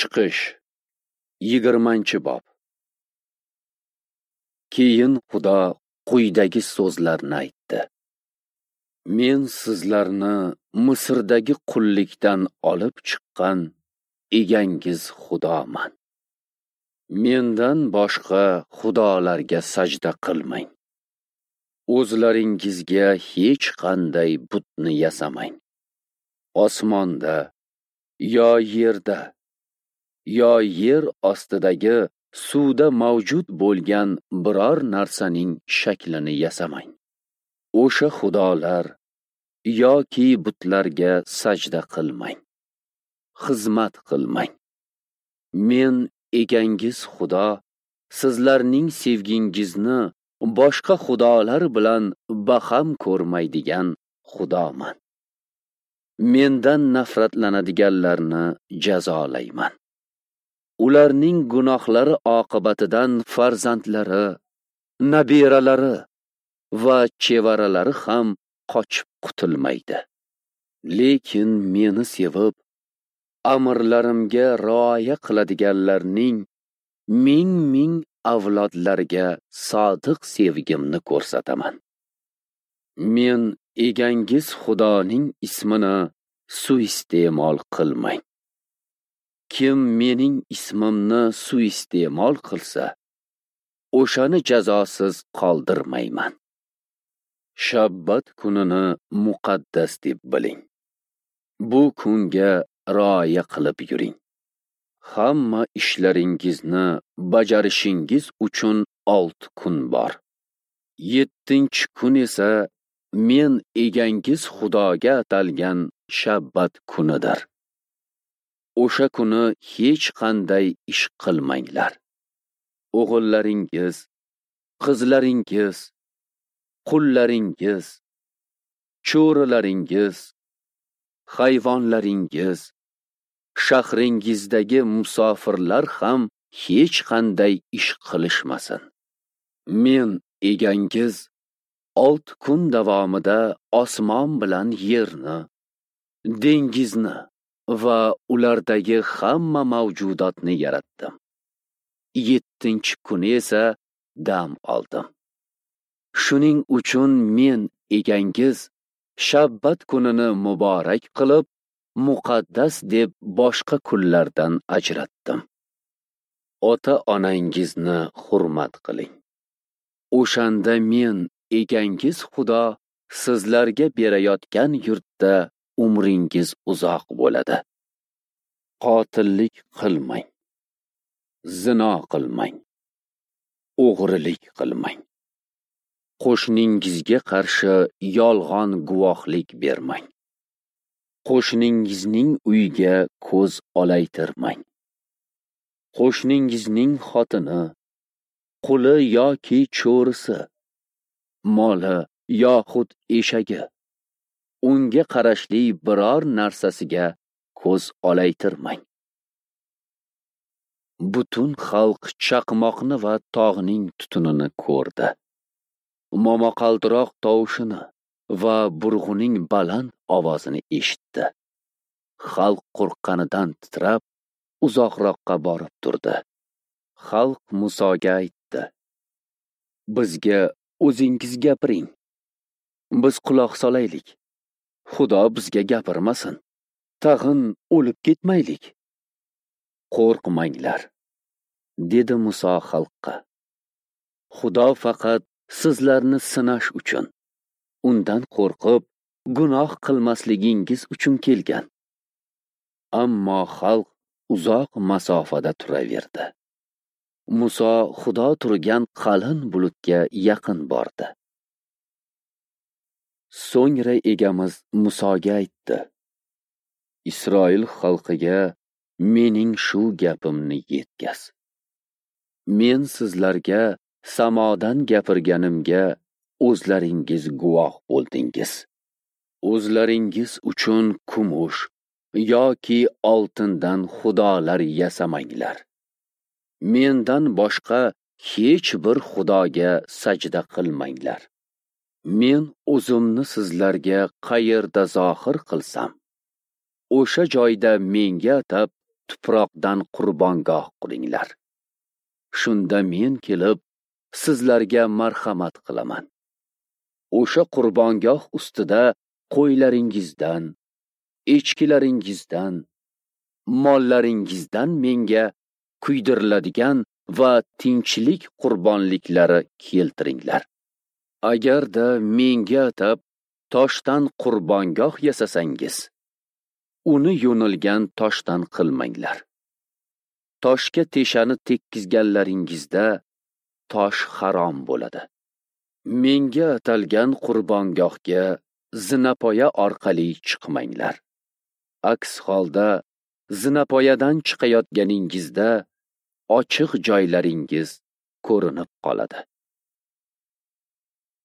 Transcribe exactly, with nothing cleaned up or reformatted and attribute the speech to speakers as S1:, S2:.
S1: Chiqish yigirmanchi bob. Keyin Xudo quyidagi so'zlarni aytdi: Men sizlarni Misrdagi qullikdan olib chiqqan egangiz Xudoman. Mendan boshqa xudolarga sajda qilmang. O'zlaringizga hech qanday butni yasamang. Osmonda yo yerda yo yer ostidagi suvda mavjud bo'lgan biror narsaning shaklini yasamang. O'sha xudolar yoki butlarga sajda qilmang, xizmat qilmang. Men egangiz Xudo sizlarning sevgingizni boshqa xudolar bilan baham ko'rmaydigan Xudoman. Mendan nafratlanadiganlarni jazolayman. Ularning gunohlari oqibatidan farzandlari, nabiralari va chevaralari ham qochib qutulmaydi. Lekin meni sevib, amrlarimga rioya qiladiganlarning ming-ming avlodlariga sodiq sevgimni ko'rsataman. Men egangiz Xudoning ismini suiiste'mol qilmang. Kim mening ismimni suiiste'mol qilsa, o'shani jazosiz qoldirmayman. Shabbat kunini muqaddas deb biling. Bu kunga rioya qilib yuring. Hamma ishlaringizni bajarishingiz uchun olti kun bor. Yettinchi kun esa men egangiz Xudoga atalgan shabbat kunidir. O'sha kuni hech qanday ish qilmanglar. O'g'illaringiz, qizlaringiz, qullaringiz, cho'rilaringiz, hayvonlaringiz, shahringizdagi musofirlar ham hech qanday ish qilishmasin. Men egangiz olti kun davomida osmon bilan yerni, dengizni va ulardagi hamma mavjudotni yaratdim. Yettinchi kuni esa dam oldim. Shuning uchun men egangiz shabbat kunini muborak qilib, muqaddas deb boshqa kunlardan ajratdim. Ota-onangizni hurmat qiling. O'shanda men egangiz Xudo sizlarga berayotgan yurtda umringiz uzoq bo'ladi. Qotillik qilmang, zino qilmang, o'g'rilik qilmang. Qo'shningizga qarshi yolg'on guvohlik bermang. Qo'shningizning uyiga ko'z olaytirmang. Qo'shningizning xotini, quli yoki cho'risi, moli yoxud eshagi, unga qarashli biror narsasiga ko'z olaytirmang. Butun xalq chaqmoqni va tog'ning tutunini ko'rdi. Momaqaldiroq tovushini va burg'uning baland ovozini eshitdi. Xalq qo'rqqanidan titrab, uzoqroqqa borib turdi. Xalq Musoga aytdi: Bizga o'zingiz gapiring. Biz quloq solaylik. Xudo bizga gapirmasin. Tag'in o'lib ketmaylik. Qo'rqmanglar, dedi Muso xalqqa. Xudo faqat sizlarni sinash uchun, undan qo'rqib, gunoh qilmasligingiz uchun kelgan. Ammo xalq uzoq masofada turaverdi. Muso Xudo turgan qalin bulutga yaqin bordi. So'ngra egamiz Musoga aytdi: Isroil xalqiga mening shu gapimni yetkaz. Men sizlarga samodan gapirganimga o'zlaringiz guvoh bo'ldingiz. O'zlaringiz uchun kumush yoki oltindan xudolar yasamanglar. Mendan boshqa hech bir xudoga sajda qilmanglar. Men o'zimni sizlarga qayerda zohir qilsam, o'sha joyda menga atab tuproqdan qurbongoh quringlar. Shunda men kelib sizlarga marhamat qilaman. O'sha qurbongoh ustida qo'ylaringizdan, echkilaringizdan, mollaringizdan menga kuydiriladigan va tinchlik qurbonliklari keltiringlar. Agarda menga atab toshdan qurbongoh yasasangiz, uni yo'nilgan toshdan qilmanglar. Toshga teshani tekkizganlaringizda tosh harom bo'ladi. Menga atalgan qurbongohga zinapoya orqali chiqmanglar. Aks holda zinapoyadan chiqayotganingizda ochiq joylaringiz ko'rinib qoladi.